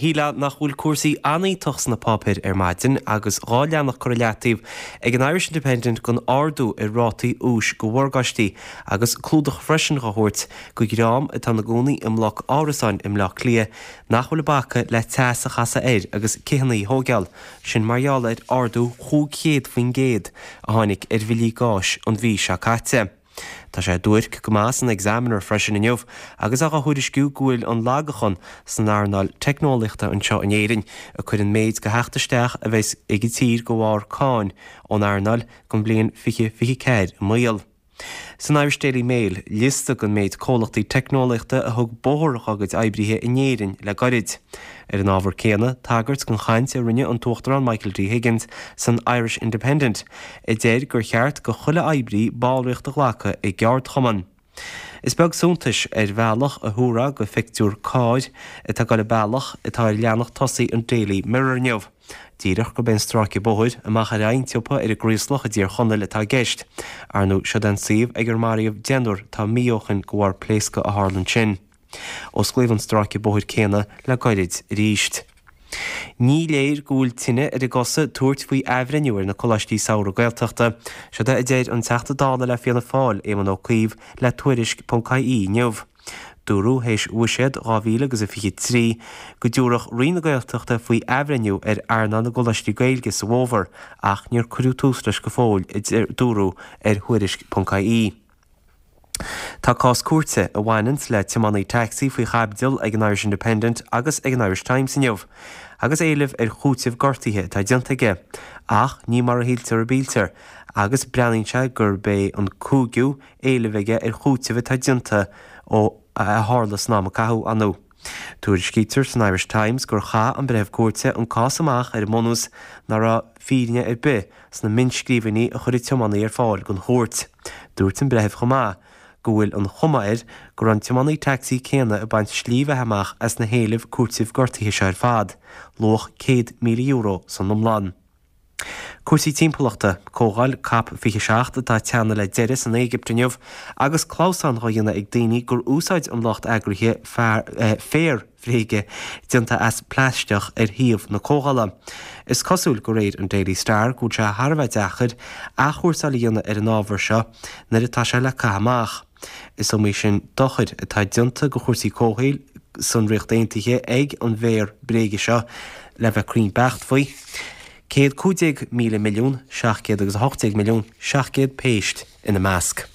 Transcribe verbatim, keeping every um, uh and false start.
Shílfeá nach bhfuil cúrsaí an-iontach sna páipéir ar maidin agus dhá leathanach curtha i leataobh ag an Irish Independent don ardú ar rátaí úis go mhorgáistí agus clúdach freisin á thabhairt go dhream atá ina gcónaí i mbloc árasáin i mBleá Cliath nach bhfuil ag bacadh le teas a chasadh air agus cithíní a thógáil, sin mar gheall ar ardú chúig chéad faoin gcéad a tháinig ar bhillí gáis an mhí seo caite. Tá sé i dtuairisc go maith san Examiner freisin inniu agus á thuairisciú go bhfuil an lagachan san earnáil teicneolaíochta anseo in Éirinn ag cur an méid de theacht isteach a bheas ag an tír de bharr cáin ón earnáil don bhliain fiche fiche ceathair i mbaol. San Irish Daily Mail, liosta den méid comhlachtaí teicneolaíochta a thug bóthar dá gcuid oibrithe in Éirinn le gairid. Ar an ábhar céanna, tagairt don chaint a rinne an tUachtarán Michael D. Higgins san Irish Independent, a deir gur cheart go chuile oibrí ballraíocht a ghlacadh i gceardchumann. Is beag suntais ar bhealach a thabharfá go phictiúr cairr atá ag dul an bealach atá ar leathanach tosaigh an Daily Mirror inniu. Díreach gurb é an stráice bóthair amach ar aghaidh an tsiopa ar an gCraoslach i dTír Chonaill atá i gceist. Ar ndóigh, siod é an suíomh ag ar maraíodh deichniúr tá mí ó shin de bharr pléascadh a tharla ansin. Osclaíodh an stráice bóthair céanna le gairid arís. Ní léir go bhfuil tine ar a gcosa tabhairt faoi athbhreithniú ar na coláistí samhraidh Gaeltachta. Siod é a deir an Teachta Dála le Fianna Fáil, Éamon Ó Cuív, le Tuairisc.ie inniu. Dúradh théis Bhuiséad dhá mhíle agus a fiche trí go dtabharfadh Roinn na Gaeltachta faoi athbhreithniú ar earnáil na gcoláistí Gaeilge sa bhfómhar ach níor cuireadh tús leis go fóill, a dúradh ar Thuairisc.ie. Tá cás cúirte a bhaineanns le tiománaí tacsaí faoi chaibidil ag an Irish Independent agus ag an Irish Times inniu, agus éileamh ar chúiteamh gortaithe atá déanta aige. Ach ní mar a shíltear a bíltear, agus breathnaíonn sé gurb é an cúigiú éileamh aige ar chúiteamh atá déanta ó a tharla san am a caitheadh ann. Tuairiscítear san Irish Times gur chaith an breitheamh cúirte an cás amach ar an mbunús nach raibh fírinne ar bith sna mionnscríbhinní a chuir an tiománaí ar fáil don chúirt. Dúirt an breitheamh chomh maith go bhfuil an chuma air go raibh an tiománaí tacsaí céanna ag baint slí bheatha amach as na héilimh cúitimh gortaithe seo ar fad, luach céad míle euro san iomlán. Cúrsaí timpeallachta, Comhdháil Cop fiche seacht atá ag teannadh le deireadh san Éigipt inniu agus clamhsán dhá dhéanamh ag daoine gur úsáid an lucht eagraithe féar bhréige déanta as plaisteach ar shuíomh na comhdhála. Is cosúil de réir an Daily Star go bhfuil sé thar a bheith deacair athchúrsáil a dhéanamh ar an ábhar seo nuair atá sé le caitheamh amach. Is iomaí sin dochar atá déanta do chúrsaí comhshaoil san Ríocht Aontaithe ag an bhféar bréige seo le bheith cruinn beacht faoi. Céad cúig déag míle milliún, seacht gcéad agus a hocht déag milliún, seacht gcéad péist ina measc.